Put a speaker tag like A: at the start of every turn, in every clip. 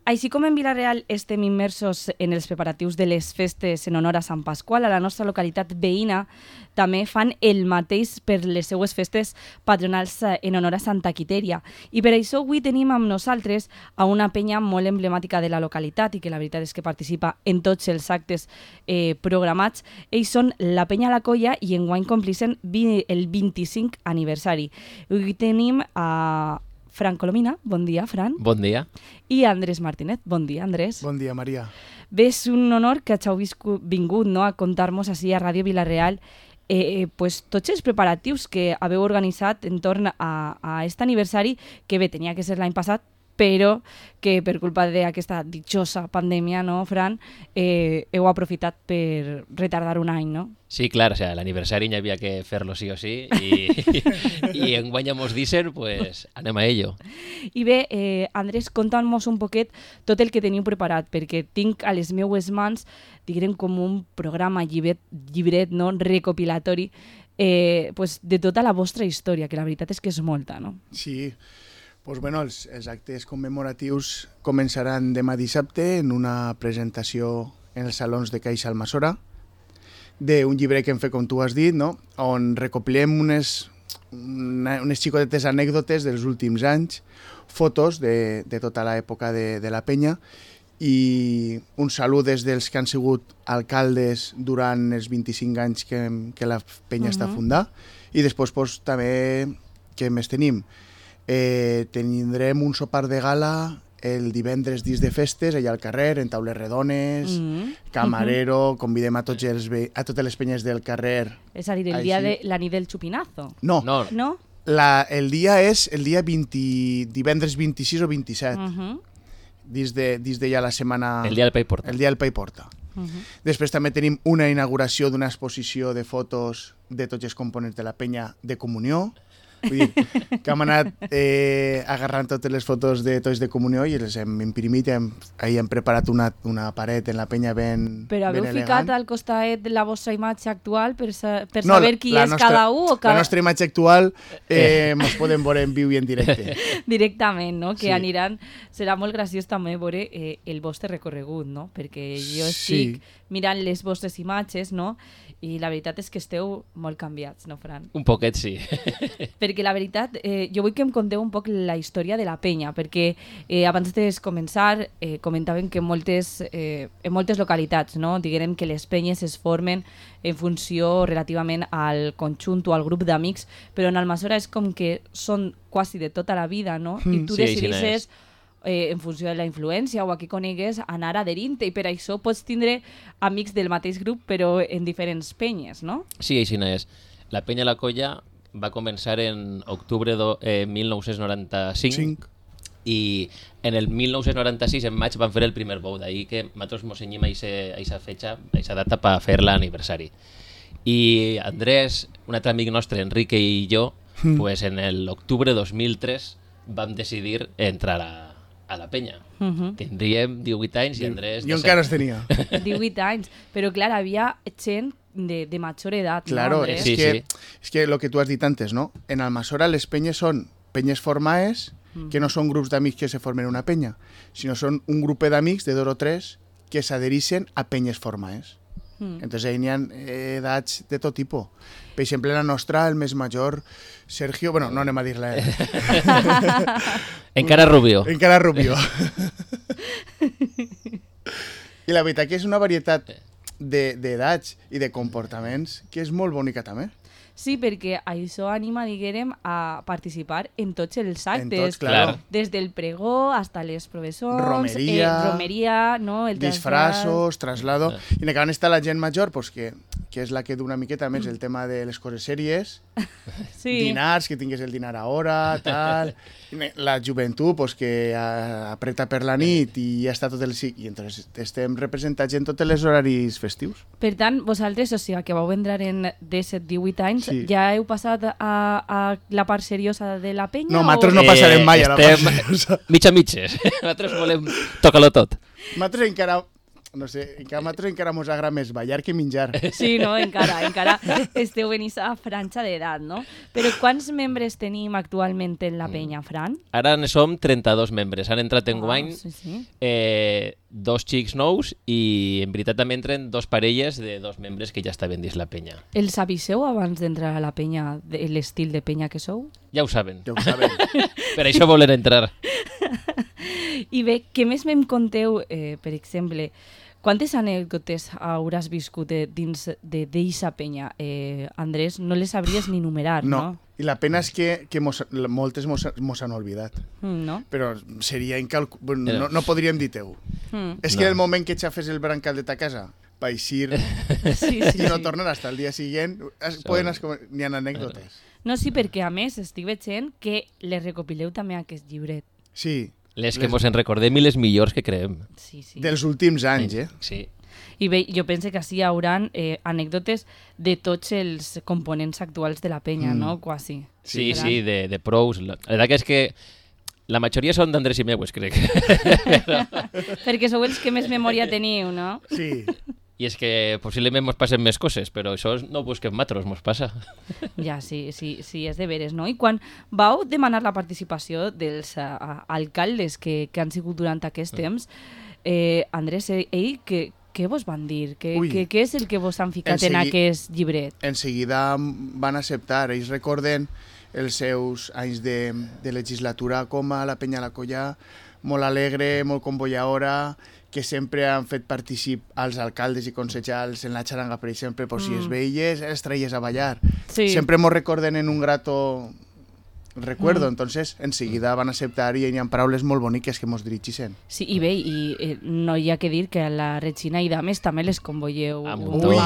A: Així com en Vila-real estem immersos en els preparatius de les festes en honor a Sant Pasqual, a la nostra localitat veïna també fan el mateix per les seues festes patronals en honor a Santa Quitèria. I per això avui tenim amb nosaltres a una penya molt emblemàtica de la localitat i que la veritat és que participa en tots els actes programats. Ells són la penya La Colla i enguany complixen el 25 aniversari. Avui tenim a Fran Colomina, bon dia, Fran.
B: Bon dia.
A: I Andrés Martínez, bon dia, Andrés.
C: Bon dia, Maria.
A: Bé, és un honor que hàgiu vingut, no, a contar-nos així a Ràdio Vila-real pues, tots els preparatius que haveu organitzat entorn a aquest aniversari, que bé, tenia que ser l'any passat, però que per culpa d'aquesta ditjosa pandèmia, no, Fran, heu aprofitat per retardar un any, no?
B: Sí, clar, o sea, l'aniversari hi havia que fer-lo sí o sí i enguany mos dicen, pues anem a ello.
A: I bé, Andrés, conta'm-nos un poquet tot el que teniu preparat, perquè tinc a les meues mans, diguem, com un programa llibret no, recopilatori pues, de tota la vostra història, que la veritat és que és molta, no?
C: Sí, pues bueno, els actes commemoratius començaran demà dissabte en una presentació en els salons de Caixa Almassora d'un llibre que hem fet, com tu has dit, no? On recopilem unes xicotetes anècdotes dels últims anys, fotos de tota l'època de la penya i un salut des dels que han sigut alcaldes durant els 25 anys que la penya està fundada i després pues, també, què més tenim? Tindrem un sopar de gala el divendres dins de festes, allà al carrer, en taules redones, camarero, convidem a totes les penyes del carrer.
A: És a dir, la nit del xupinazo.
C: No.
A: No?
C: El dia és el dia divendres 26 o 27, dins de ja la setmana...
B: El dia del Pa i Porta.
C: El dia del Pa i Porta. Després també tenim una inauguració d'una exposició de fotos de tots els components de la penya de comunió. Vull dir, que hem anat agarrant totes les fotos de tots de comunió i les hem imprimit, ahir hem preparat una paret en la penya ben
A: Però haveu
C: elegant.
A: ficat al costat la vostra imatge actual per saber qui és cada un?
C: La nostra imatge actual ens podem veure en viu i en directe.
A: Directament, no? Que
C: Sí.
A: aniran... Serà molt graciós també veure el vostre recorregut, no? Perquè jo estic mirant les vostres imatges, no? I la veritat és que esteu molt canviats, no, Fran?
B: Un poquet, sí.
A: Perquè la veritat, jo vull que em conteu un poc la història de la penya, perquè abans de començar comentaven que en moltes localitats, no, diguem que les penyes es formen en funció relativament al conjunt o al grup d'amics, però en Almassora és com que són quasi de tota la vida, no? I tu decidisses en funció de la influència o a qui conegues, anar adherint-te i per això pots tindre amics del mateix grup però en diferents penyes, no?
B: Sí, així és. La penya La Colla va començar en octubre de 1995 i en el 1996, en maig, van fer el primer bou, d'ahir que nosaltres mos cenyim a aquesta data per fer l'aniversari. I Andrés, un altre amic nostre, Enrique i jo, pues en l'octubre de 2003 vam decidir entrar a la penya. Tindríem 18 anys i Andrés...
C: Jo encara els tenia.
A: 18 anys, però clar, havia gent de major edat,
C: Claro,
A: no, Andrés?
C: és que lo que tu has dit antes, no? En Almassora les penyes són penyes formades, que no són grups d'amics que se formen una penya, sinó són un grup d'amics de 2 o 3 que s'adhereixen a penyes formades. Entonces ahí n'hi ha edats de tot tipus. Per exemple, la nostra, el més major, Sergio... Bueno, no anem a dir-la.
B: Encara Rubio.
C: Encara Rubio. I la veritat que és una varietat d'edats i de comportaments que és molt bonica també.
A: Sí, perquè això anima, diguem, a participar en tots els actes.
C: En tots, claro.
A: Des del pregó hasta les professors,
C: romeria,
A: no? El
C: disfrazos, traslado. I en acaben està la gent major, pues, que és la que du una miqueta més el tema de les coses sèries, dinars, que tingues el dinar a hora, tal. La joventut, pues, que apreta per la nit i ja està tot el... I entonces estem representats en tots els horaris festius.
A: Per tant, vosaltres, o sigui, que vau entrar en 17-18 anys, ja heu passat a la part seriosa de la penya?
C: No, nosaltres no passarem mai a la part seriosa.
B: Mitges. Nosaltres volem tocar-lo tot.
C: Nosaltres encara... No sé, encara mos agrada més ballar que menjar.
A: Sí, no? Encara esteu en aquesta franja d'edat, no? Però quants membres tenim actualment en la penya, Fran?
B: Ara ne som 32 membres. Han entrat en guany
A: sí.
B: 2 xics nous i en veritat també entren 2 parelles de 2 membres que ja estaven dins la penya.
A: Els aviseu abans d'entrar a la penya de l'estil de penya que sou?
B: Ja ho saben.
C: Ja ho saben.
B: Per això volen entrar.
A: I bé, què més me'n conteu, per exemple, quantes anècdotes hauràs viscut dins d'eixa penya? Andrés, no les sabries ni numerar, no?
C: I la pena és que moltes mos han oblidat.
A: No?
C: Però seria no podríem dir teu. És que el moment que xafes el brancal de ta casa va eixir i no tornar hasta el dia siguient, n'hi ha anècdotes.
A: No, sí, perquè a més estic veient que les recopileu també a aquest llibret.
C: Sí.
B: Les que mos en recordem i les millors que creem.
A: Sí.
C: Dels últims anys,
B: Sí.
A: I bé, jo penso que així hi haurà anècdotes de tots els components actuals de la penya, no? Quasi.
B: Sí, de pros. La veritat és que la majoria són d'Andrés i meues, crec.
A: Perquè sou els que més memòria teniu, no?
C: Sí.
B: I és que possiblement mos passen més coses, però això no ho busquem matros, mos passa.
A: Ja, sí, és de veres, no? I quan vau demanar la participació dels alcaldes que han sigut durant aquest temps, Andrés, què vos van dir? Què és el que vos han ficat en aquest llibret?
C: En seguida van acceptar. Ells recorden els seus anys de legislatura com a la Penya La Colla, molt alegre, molt convolladora, que sempre han fet particip als alcaldes i consellers en la xaranga, per exemple, per si es veies, els traies a ballar.
A: Sí.
C: Sempre mos recorden en un grato recuerdo, entonces enseguida van acceptar i hi ha paraules molt boniques que mos dirigeixen.
A: Sí, i bé, no hi ha que dir que a la Regina i Dames també les convolleu
B: a muntó,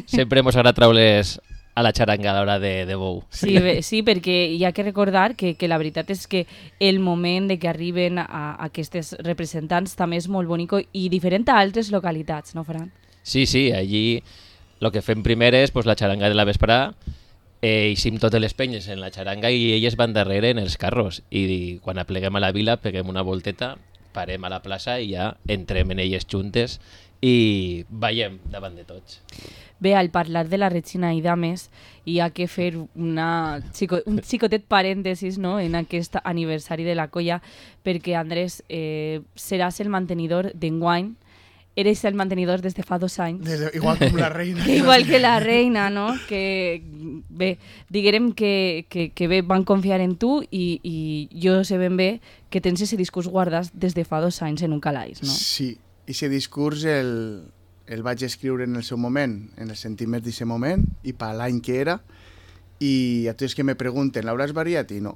B: Sempre mos agrada traure's a la xaranga a l'hora de bou.
A: Sí, perquè hi ha que recordar que la veritat és que el moment de que arriben a aquestes representants també és molt bonic i diferent a altres localitats, no, Fran?
B: Sí, allí el que fem primer és la xaranga de la vesprà, eixim totes les penyes en la xaranga i elles van darrere en els carros i quan apleguem a la vila peguem una volteta, parem a la plaça i ja entrem en elles juntes i ballem davant de tots.
A: Bé, al parlar de la Regina i Dames, hi ha que fer un xicotet parèntesis, no?, en aquest aniversari de la colla, perquè, Andrés, seràs el mantenidor d'enguany. Eres el mantenidor des de fa 2 anys.
C: Igual com la reina.
A: Igual que la reina, no? Que, bé, diguem que bé, van confiar en tu i jo sé ben bé que tens ese discurs guardat des de fa 2 anys en un calaix, no?
C: Sí, i ese discurs el vaig escriure en el seu moment, en els sentiments d'aquest moment, i per l'any que era, i a tots que me pregunten, l'hauràs variat? I no.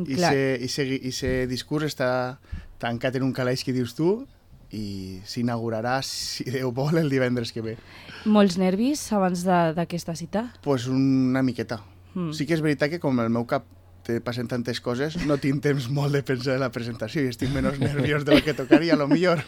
C: I ese discurs està tancat en un calaix que dius tu, i s'inaugurarà, si Déu vol, el divendres que ve.
A: Molts nervis abans d'aquesta cita?
C: Pues una miqueta. Sí que és veritat que com el meu cap te passen tantes coses, no tinc temps molt de pensar en la presentació i estic menys nerviós de lo que tocaria, a lo millor.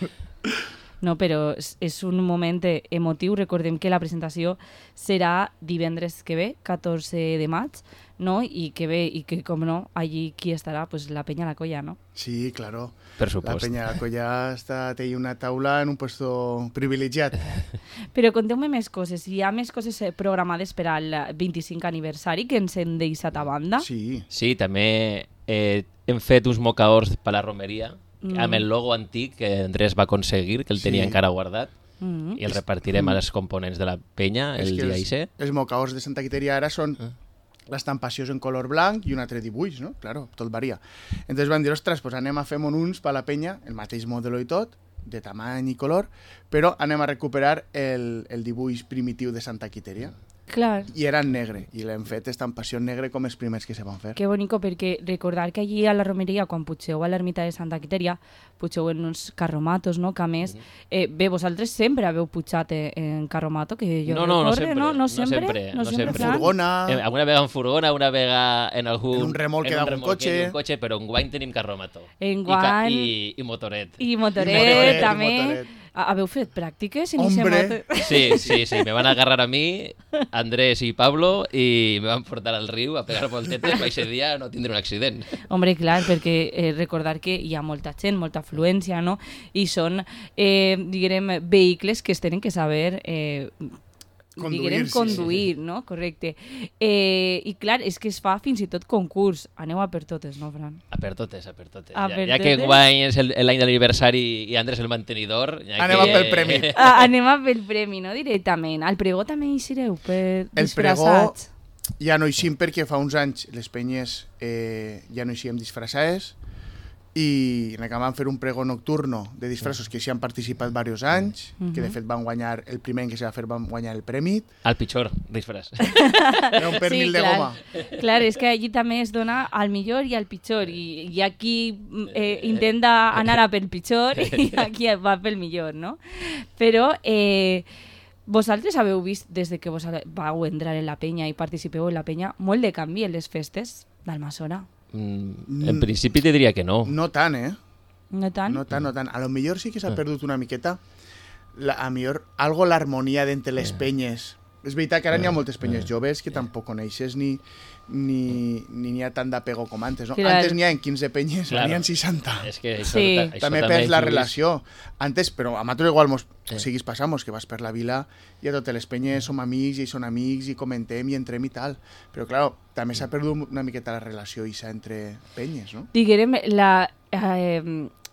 A: No, però és un moment emotiu. Recordem que la presentació serà divendres que ve, 14 de maig, no? I que com no, allí qui estarà? Pues la Penya La Colla, no?
C: Sí, claro.
B: Per supost.
C: La Penya La Colla té una taula en un puesto privilegiat.
A: Però conteu-me més coses. Hi ha més coses programades per al 25 aniversari que ens hem deixat a banda?
B: Sí, també hem fet uns mocaors per la romeria, amb el logo antic que Andrés va aconseguir, que el tenia encara guardat, i el repartirem a les components de la penya el dia IC.
C: Els mocaors de Santa Quiteria ara són l'estampació en color blanc i un altre dibuix, no? Claro, tot varia. Entonces van dir, ostres, pues anem a fer uns per la penya, el mateix modelo i tot, de tamany i color, però anem a recuperar el dibuix primitiu de Santa Quiteria.
A: Clar.
C: I era en negre, i l'hem fet estampació en negre com els primers que se van fer.
A: Que bonico, perquè recordar que allí a la romeria, quan pugeu a l'ermita de Santa Quiteria, pugeu en uns carromatos, no? Que a més, bé, vosaltres sempre haveu pujat en carromato, que jo recorde, no? No sempre.
C: Furgona.
B: Alguna vegada en furgona, una vegada en un
C: remolque d'algun cotxe.
B: Però enguany tenim carromato.
A: Enguany.
B: I motoret.
A: I motoret, també. Haveu fet pràctiques?
C: Hombre!
B: Sí, me van agarrar a mi, Andrés i Pablo, i me van portar al riu a pegar voltetes per aquest dia no tindre un accident.
A: Hombre, clar, perquè recordar que hi ha molta gent, molta afluència, no? I són, diguem, vehicles que es tenen que saber conduir, no? Correcte. I clar, és que es fa fins i tot concurs. Aneu a per totes, no, Fran?
B: A per totes.
A: Ja
B: que guany és l'any de l'aniversari i Andrés el mantenidor...
C: Anem a pel premi.
A: Anem a pel premi, no? Directament. Al pregó també hi sereu disfressats?
C: El pregó ja no hi sim perquè fa uns anys les penyes ja no hi siguem disfressades i acabam fer un pregó nocturno de disfressos que s'hi han participat diversos anys, que de fet van guanyar, el primer que s'ha de fer van guanyar el premi.
B: Al pitjor disfress.
C: Era un pernil de goma.
A: Clar, és que allí també es dona al millor i al pitjor, i aquí intenta anar a pel pitjor i aquí va pel millor, no? Però vosaltres haveu vist, des de que vos vau entrar en la penya i participeu en la penya, molt de canvi en les festes d'Almassora.
B: En principi te diria que no.
C: No tant, eh?
A: No tant?
C: No tant. A lo millor sí que s'ha perdut una miqueta a millor algo l'harmonia d'entre les penyes. És veritat que ara n'hi ha moltes penyes joves que tampoc coneixes ni n'hi ha tant d'apego com antes, no?
A: Clar.
C: Antes n'hi ha 15 penyes, ara n'hi ha 60.
B: És que això,
A: Sí.
B: això
C: També perds la
B: influïx.
C: relació. Antes, però a nosaltres igual siguis passamos, que vas per la vila i a totes les penyes som amics i són amics i comentem i entrem i tal. Però, clar, també s'ha perdut una miqueta la relació entre penyes, no?
A: Diguem,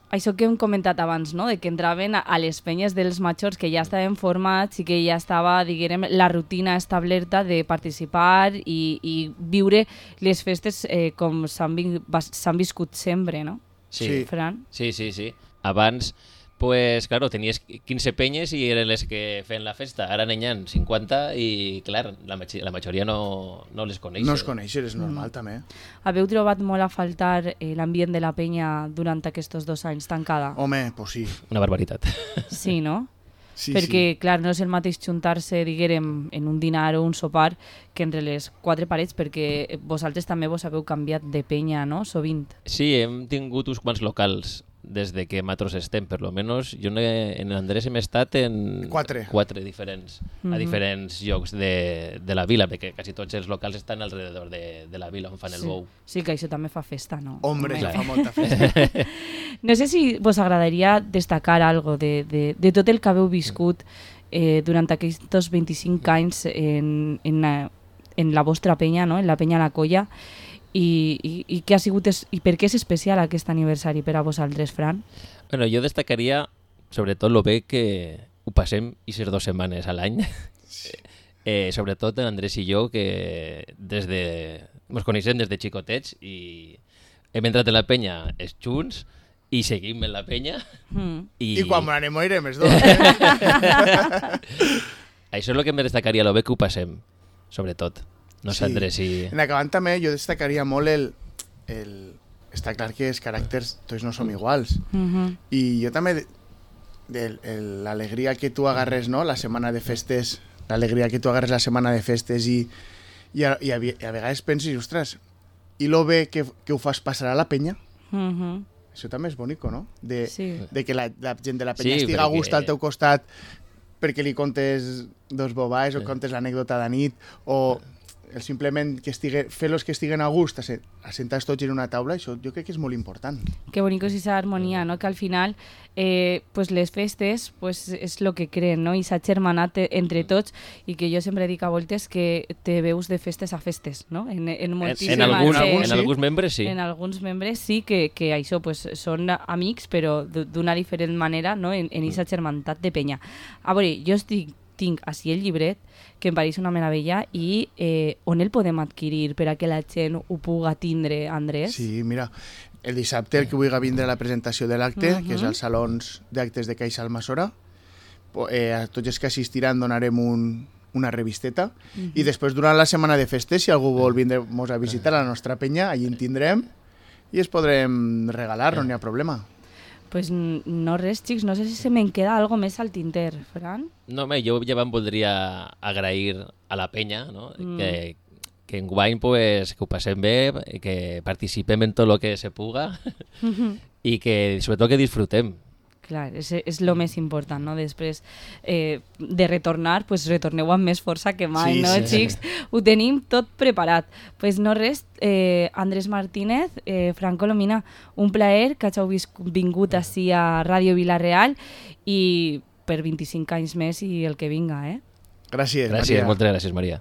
A: això que hem comentat abans, no? De que entraven a les penyes dels majors que ja estaven formats i que ja estava, diguem, la rutina establerta de participar i viure les festes com s'han viscut sempre, no?
B: Sí.
A: Fran?
B: Sí. Abans, pues, claro, tenies 15 penyes i eren les que feien la festa. Ara n'hi ha 50 i, clar, la majoria no les coneix.
C: No es coneixen, és normal, també.
A: Haveu trobat molt a faltar l'ambient de la penya durant aquests 2 anys tancada?
C: Home, pues sí.
B: Una barbaritat.
A: Sí, no?
C: Sí,
A: Perquè, clar, no és el mateix juntar-se, diguem, en un dinar o un sopar que entre les 4 parets, perquè vosaltres també vos haveu canviat de penya, no?, sovint.
B: Sí, hem tingut uns quants locals des de que nosaltres estem, per lo menos. Jo en Andrés hem estat en 4 diferents, a diferents llocs de la vila, perquè quasi tots els locals estan alrededor de la vila on fan el bou.
A: Sí, que això també fa festa, no?
C: Hombre,
A: Home.
C: ja fa molta festa.
A: No sé si vos agradaria destacar algo de tot el que haveu viscut durant aquests 25 anys en la vostra penya, no? En la penya La Colla, i què ha sigut i per què és especial aquest aniversari per a vosaltres, Fran?
B: Bueno, jo destacaria sobretot lo bé que ho passem aquestes 2 setmanes a l'any. Sobretot l'Andrés i jo, que ens coneixem des de xicotets i hem entrat en la penya junts i seguim en la penya.
C: I quan anem irem els dos.
B: Això és el que em destacaria, lo bé que ho passem, sobretot. No sé, Andrés, si...
C: En acabant també jo destacaria molt està clar que els caràcters tots no som iguals. I jo també l'alegria que tu agarres, no?, la setmana de festes, l'alegria que tu agarres la setmana de festes i a vegades pensis, ostres, i lo bé que ho fas passar a la penya? Això també és bonic, no? De que la gent de la penya estiga a gust al teu costat perquè li contes 2 bobais o contes l'anècdota de nit o simplement fer-los que estiguen a gust assentats tots en una taula, això jo crec que és molt important.
A: Que bonico és esa armonía, ¿no? Que al final pues les festes pues és lo que creen, no? I s'ha germanat entre tots i que jo sempre dic a voltes que te veus de festes a festes, no? En
B: alguns membres sí.
A: En alguns membres sí que això pues són amics però d'una diferent manera, no? En aquesta germantat de penya. A veure, jo tinc així el llibret que em pareix una meravella i on el podem adquirir per a que la gent ho puga tindre, Andrés?
C: Sí, mira, el dissabte el que vulgui vindre a la presentació de l'acte, que és als salons d'actes de Caixa Almassora, a tots els que assistiran donarem una revisteta i després durant la setmana de festes, si algú vol vindre-nos a visitar a la nostra penya, allí en tindrem i es podrem regalar, no n'hi ha problema.
A: Pues no res, xics, no sé si se me'n queda algo més al tinter, Fran.
B: No, jo ja em voldria agrair a la penya, no? Que enguany pues, que ho passem bé, que participem en tot el que se puga i que sobretot que disfrutem.
A: Clar, és lo més important, no? Després de retornar, pues retorneu amb més força que mai,
C: Sí,
A: no,
C: sí.
A: xics? Ho tenim tot preparat. Pues no res, Andrés Martínez, Fran Colomina, un plaer que hàgiu vingut ací a Ràdio Vila-real i per 25 anys més i el que vinga,
C: Gràcies,
B: Gràcies,
C: Maria.
B: moltes gràcies, Maria.